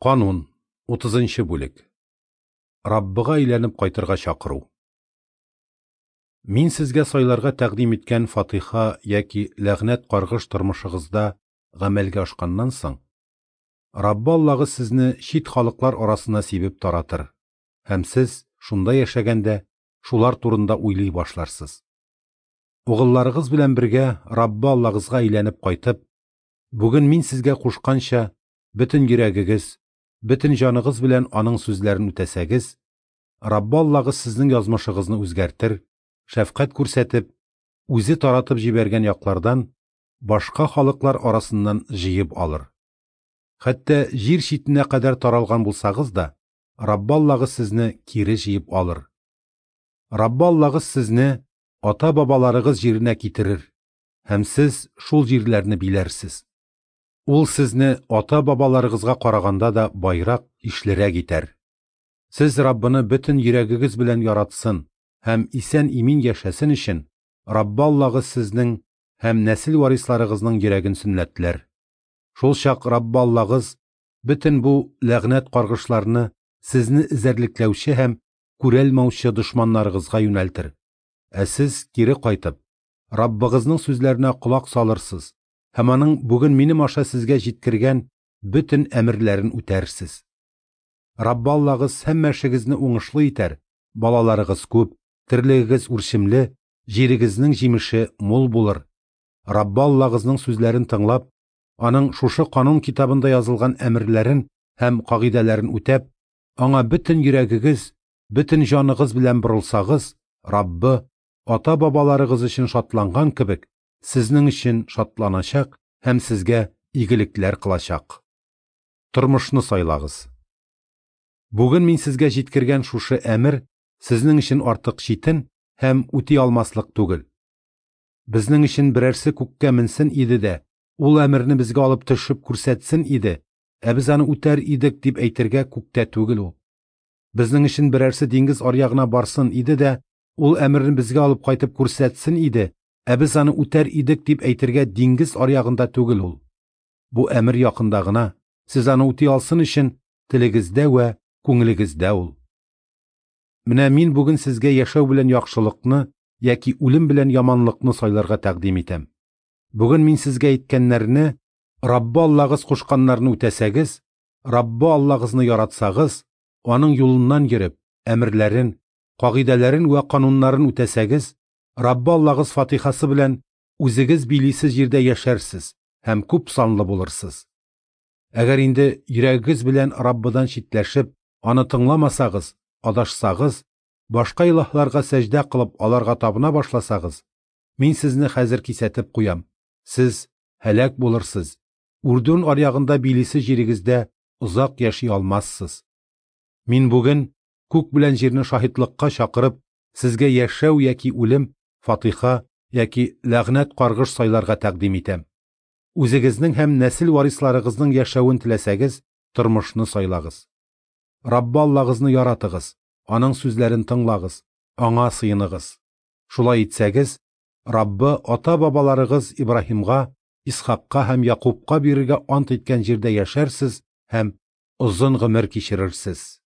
Канун, 30 бүлек. Раббыга әйләнеп кайтырга чакыру. Мин сезгә сайларга тәкъдим иткән фатиха яки ләгънәт каргыш тормышыгызда гамәлгә ашканнан соң, Раббы Аллагыз сезне чит халыклар арасына сибеп таратыр, һәм сез, шунда яшәгәндә, шулар турында уйлый башларсыз. Угылларыгыз белән бергә Раббы Аллагызга әйләнеп кайтып, бүген мин сезгә кушканча, бөтен йөрәгегез, бөтен җаныгыз белән Аның сүзләрен үтәсәгез, Раббы Аллагыз сезнең язмышыгызны үзгәртер, шәфкать күрсәтеп, Үзе таратып җибәргән яклардан, башка халыклар арасыннан җыеп алыр. Хәтта җир читенә кадәр таралган булсагыз да, Раббы Аллагыз сезне кире җыеп алыр. Раббы Аллагыз сезне ата-бабаларыгыз җиренә китерер, һәм сез шул җирләрне биләрсез. Ул сезне ата-бабаларыгызга караганда да байрак, ишлерәк итәр. Сез Раббыны бөтен йөрәгегез белән яратсын һәм исән-имин яшәсен өчен, Раббы Аллагыз сезнең һәм нәсел варисларыгызның йөрәген сөннәтләр. Шул чак Раббы Аллагыз бөтен бу ләгънәт-каргышларны сезне эзәрлекләүче һәм күрәлмаучы дошманнарыгызга юнәлтер. Ә сез, кире кайтып, Раббыгызның сүзләренә колак салырсыз һәм Аның бүген минем аша сезгә җиткергән бөтен әмерләрен үтәрсез. Раббы Аллагыз һәммә эшегезне уңышлы итәр, балаларыгыз күп, терлегегез үрчемле, җирегезнең җимеше мул булыр. Раббы Аллагызның сүзләрен тыңлап, Аның шушы канун китабында язылган әмерләрен һәм кагыйдәләрен үтәп, Аңа бөтен йөрәгегез, бөтен җаныгыз белән борылсагыз, Раббы, ата-бабаларыгыз өчен шатланган кебек, сезнең өчен шатланачак һәм сезгә игелекләр кылачак. Тормышны сайлагыз. Бүген мин сезгә җиткергән шушы әмер сезнең өчен артык читен һәм үти алмаслык түгел. Безнең өчен берәрсе күккә менсен иде дә, ул әмерне безгә алып төшеп күрсәтсен иде, ә без аны үтәр идек дип әйтергә күктә түгел ул. Безнең өчен берәрсе диңгез аръягына барсын иде дә, ул әмерне безгә алып кайтып күрсәтсен иде, ә без аны үтәр идек дип әйтергә диңгез аръягында түгел ул. Бу әмер якында гына, сез аны үти алсын өчен телегездә вә күңелегездә ул. Менә мин бүген сезгә яшәү белән яхшылыкны яки үлем белән яманлыкны сайларга тәкъдим итәм. Бүген мин сезгә әйткәннәрне, Раббы Аллагыз кушканнарны үтәсәгез, Раббы Аллагызны яратсагыз, Аның юлыннан йөреп, әмерләрен, кагыйдәләрен вә кануннарын үтәсәгез, Раббы Аллагыз фатихасы белән үзегез билисе җирдә яшәрсез һәм күп санлы булырсыз. Әгәр инде йөрәгегез белән Раббыдан читләшеп, аны тыңламасагыз, адашсагыз, башка илаһларга сәҗдә кылып, аларга табына башласагыз, мин сезне хәзер кисәтеп куям, сез һәлак булырсыз, Үрдүн аръягында билисе җирегездә озак яши алмассыз. Мин бүген күк белән җирне шаһитлыкка чакырып, сезгә яшәү яки үлем, фатиха яки ләгънәт-каргыш сайларга тәкъдим итәм. Үзегезнең һәм нәсел варисларыгызның яшәвен теләсәгез, тормышны сайлагыз. Раббы Аллагызны яратыгыз, Аның сүзләрен тыңлагыз, Аңа сыеныгыз. Шулай итсәгез, Раббы ата-бабаларыгыз Ибраһимга, Исхакка һәм Якубка бирергә ант иткән җирдә яшәрсез һәм озын гомер кичерерсез.